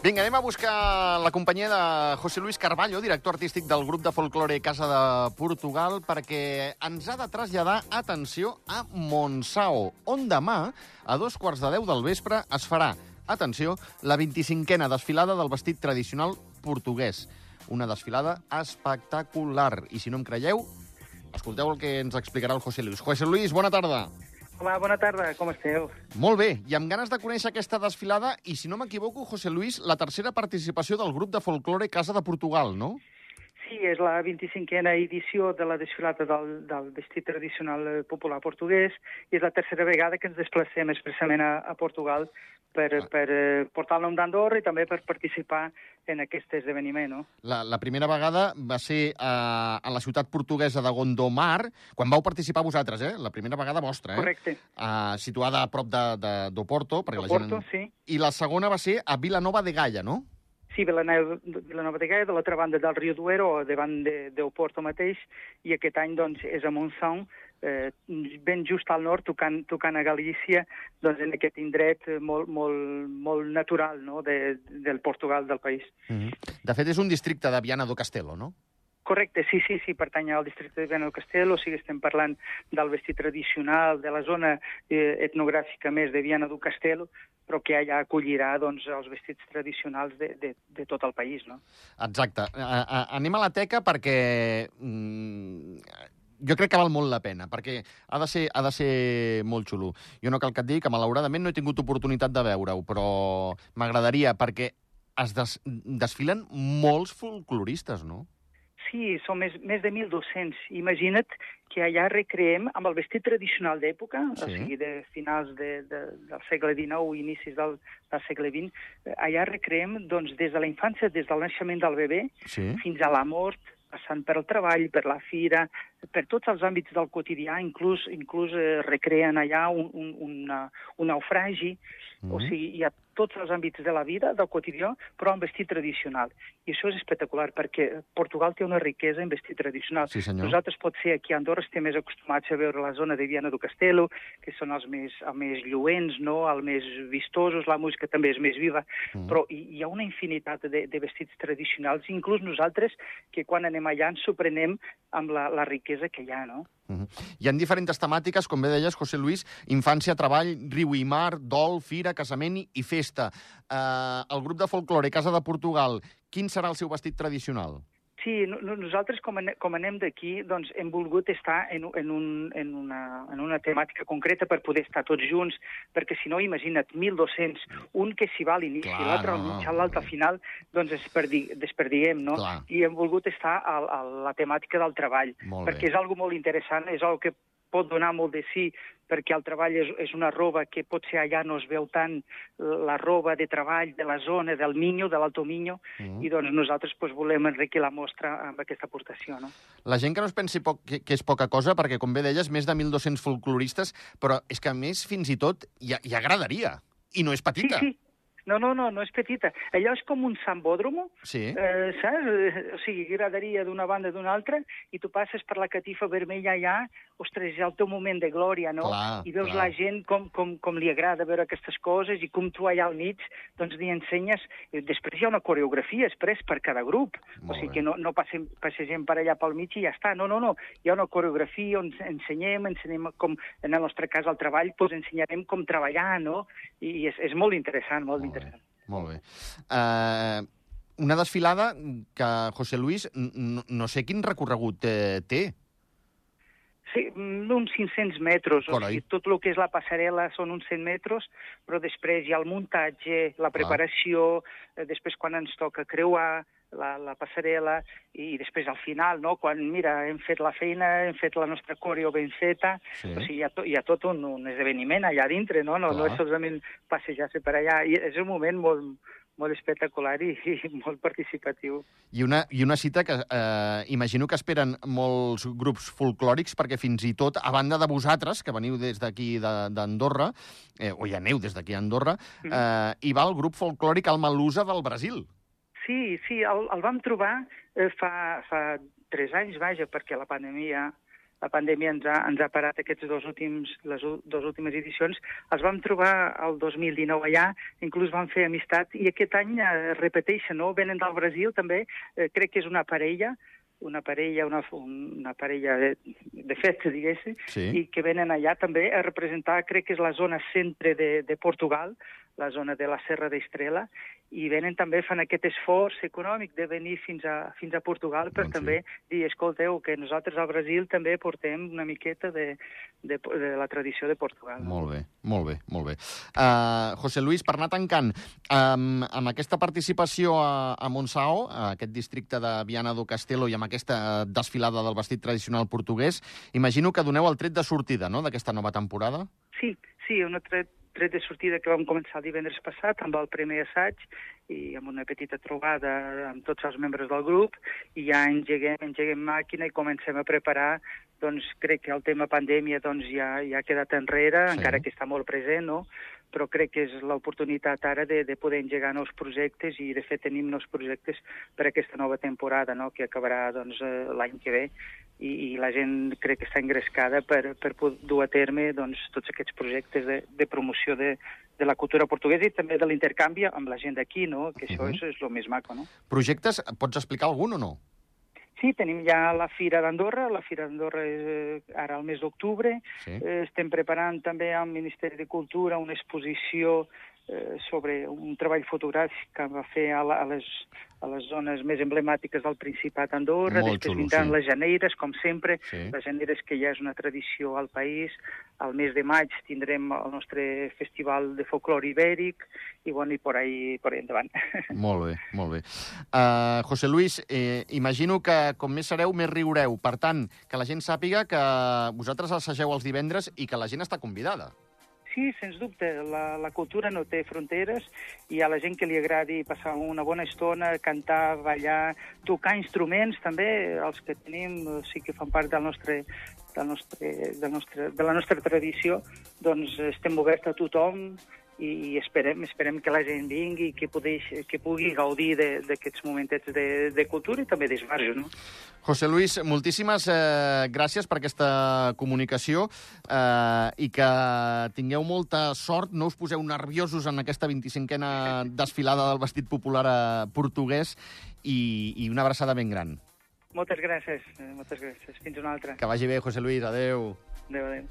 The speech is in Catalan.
Vinga, anem a buscar la companyia de José Luis Carballo, director artístic del grup de folklore Casa de Portugal, perquè ens ha de traslladar, atenció, a Montsao, on demà, a 2:15 del vespre, es farà, atenció, la 25a desfilada del vestit tradicional portuguès. Una desfilada espectacular. I si no em creieu, escolteu el que ens explicarà el José Luis. José Luis, bona tarda. Hola, bona tarda, com esteu? Molt bé, i amb ganes de conèixer aquesta desfilada, i si no m'equivoco, José Luis, la tercera participació del grup de folklore Casa de Portugal, no? Sí, és la 25a edició de la desfilada del vestit tradicional popular portuguès i és la tercera vegada que ens desplacem expressament a Portugal per portar el nom d'Andorra i també per participar en aquest esdeveniment, no? La primera vegada va ser a la ciutat portuguesa de Gondomar, quan vau participar vosaltres, La primera vegada vostra, Correcte. Situada a prop d'Oporto, perquè Oporto, sí. I la segona va ser a Vilanova de Gaia, no? Sí, Vilanova de Gaia, de l'altra banda del riu Duero, davant d'Oporto mateix, i aquest any doncs, és a Montsão, ben just al nord, tocant a Galícia, doncs, en aquest indret molt natural, no?, del Portugal, del país. De fet, és un districte de Viana do Castelo, no? Correcte, sí, pertany al districte de Viana do Castelo, o sigui, estem parlant del vestit tradicional, de la zona etnogràfica més de Viana do Castelo, però que allà acollirà doncs, els vestits tradicionals de tot el país, no? Exacte. Anem a la teca perquè jo crec que val molt la pena, perquè ha de ser molt xulo. Jo no cal que et digui que malauradament no he tingut oportunitat de veure-ho, però m'agradaria, perquè es desfilen molts folcloristes, no? Sí, són més de 1.200. Imagina't que allà recreem amb el vestit tradicional d'època, o sigui, de finals del segle XIX i inicis del segle XX, allà recreem doncs, des de la infància, des del naixement del bebè, fins a la mort, passant per el treball, per la fira, per tots els àmbits del quotidià, inclús recreen allà un naufragi, o sigui, hi ha tots els àmbits de la vida, del quotidià, però en vestit tradicional. I això és espectacular, perquè Portugal té una riquesa en vestit tradicional. Sí, senyor. Nosaltres, potser, aquí a Andorra estem més acostumats a veure la zona de Viana do Castelo, que són els més lluents, no?, els més vistosos, la música també és més viva, però hi ha una infinitat de vestits tradicionals, inclús nosaltres, que quan anem allà ens sorprenem amb la riquesa que hi ha, no? Hi ha diferents temàtiques, com bé deies, José Luis, infància, treball, riu i mar, dol, fira, casament i festa. El grup de folklore Casa de Portugal, quin serà el seu vestit tradicional? Sí, nosaltres, com anem d'aquí, doncs hem volgut estar en una temàtica concreta per poder estar tots junts, perquè si no, imagina't, 1.200, un que s'hi va a l'inici, l'altre al mig, l'altre al final, doncs desperdiguem, no? Clar. I hem volgut estar a la temàtica del treball, perquè és algo molt interessant, és algo que pot donar molt de sí, perquè el treball és una roba que potser allà no es veu tant, la roba de treball de la zona del Minho, de l'Alto Minho, i doncs nosaltres volem enriquir la mostra amb aquesta aportació, no? La gent que no es pensi que és poca cosa, perquè, com bé deies, més de 1.200 folcloristes, però és que, a més, fins i tot, hi agradaria, i no és petita. Sí. No és petita. Allò és com un sambòdromo, saps? O sigui, graderia d'una banda d'una altra, i tu passes per la catifa vermella allà, ostres, és el teu moment de glòria, no? I veus la gent com li agrada veure aquestes coses, i com tu allà al mig, doncs li ensenyes. Després hi ha una coreografia express per cada grup, o sigui que no passegem per allà pel mig i ja està. No. Hi ha una coreografia on ensenyem com, en el nostre cas, el treball, doncs ensenyarem com treballar, no? I és molt interessant, molt interessant. Molt bé. Una desfilada que, José Luis, no sé quin recorregut té. Sí, uns 500 metres. O sigui, tot el que és la passarel·la són uns 100 metres, però després hi ha el muntatge, la preparació, després quan ens toca creuar la passarel·la, i després al final, no?, quan, mira, hem fet la feina, hem fet la nostra coreo ben feta, o sigui, hi ha tot un esdeveniment allà dintre, no? No és solament passejar-se per allà. I és un moment molt espectacular i molt participatiu. I una cita que imagino que esperen molts grups folclòrics, perquè fins i tot, a banda de vosaltres, que veniu des d'aquí d'Andorra, o hi aneu des d'aquí a Andorra, hi va el grup folclòric Almalusa del Brasil. Sí, el vam trobar fa 3 anys, vaja, perquè la pandèmia la pandèmia ens ha parat les dues últimes edicions. Els vam trobar el 2019 allà, inclús vam fer amistat, i aquest any repeteixen, no? Venen del Brasil també, crec que és una parella de festa, diguéssim, i que venen allà també a representar, crec que és la zona centre de Portugal, la zona de la Serra d'Estrela, i venen també, fan aquest esforç econòmic de venir fins a Portugal per també dir, escolteu, que nosaltres al Brasil també portem una miqueta de la tradició de Portugal. Molt bé, molt bé, molt bé. José Luis, per anar tancant, amb aquesta participació a Monção, aquest districte de Viana do Castelo, i amb aquesta desfilada del vestit tradicional portuguès, imagino que doneu el tret de sortida, no?, d'aquesta nova temporada? Sí, un tret de sortida que vam començar el divendres passat amb el primer assaig i amb una petita trobada amb tots els membres del grup, i ja engeguem màquina i comencem a preparar. Doncs crec que el tema pandèmia ja ha quedat enrere, encara que està molt present, no? Però crec que és l'oportunitat ara de poder engegar nous projectes, i de fet tenim nous projectes per aquesta nova temporada, no?, que acabarà l'any que ve, i la gent crec que està engrescada per dur a terme tots aquests projectes de promoció de la cultura portuguesa i també de l'intercanvi amb la gent d'aquí, no?, que això és el més maco, no? Projectes, pots explicar algun o no? Sí, tenim ja la Fira d'Andorra. La Fira d'Andorra és ara al mes d'octubre. Estem preparant també al Ministeri de Cultura una exposició sobre un treball fotogràfic que va fer a les zones més emblemàtiques del Principat d'Andorra. Després vindran les Janeires, com sempre. Les Janeires, que ja és una tradició al país. Al mes de maig tindrem el nostre festival de folclore ibèric i per ahí endavant. Molt bé, molt bé. José Luis, imagino que com més sereu, més riureu. Per tant, que la gent sàpiga que vosaltres assageu els divendres i que la gent està convidada. Sí, sens dubte. La cultura no té fronteres, i a la gent que li agradi passar una bona estona, cantar, ballar, tocar instruments també, els que tenim, sí que fan part de la nostra tradició, doncs estem oberts a tothom, i esperem que la gent vingui, que pugui gaudir d'aquests momentets de cultura i també d'esbarjo, no? José Luis, moltíssimes gràcies per aquesta comunicació i que tingueu molta sort, no us poseu nerviosos en aquesta 25a desfilada del vestit popular portuguès, i una abraçada ben gran. Moltes gràcies. Fins una altra. Que vagi bé, José Luis. Adéu. Adéu.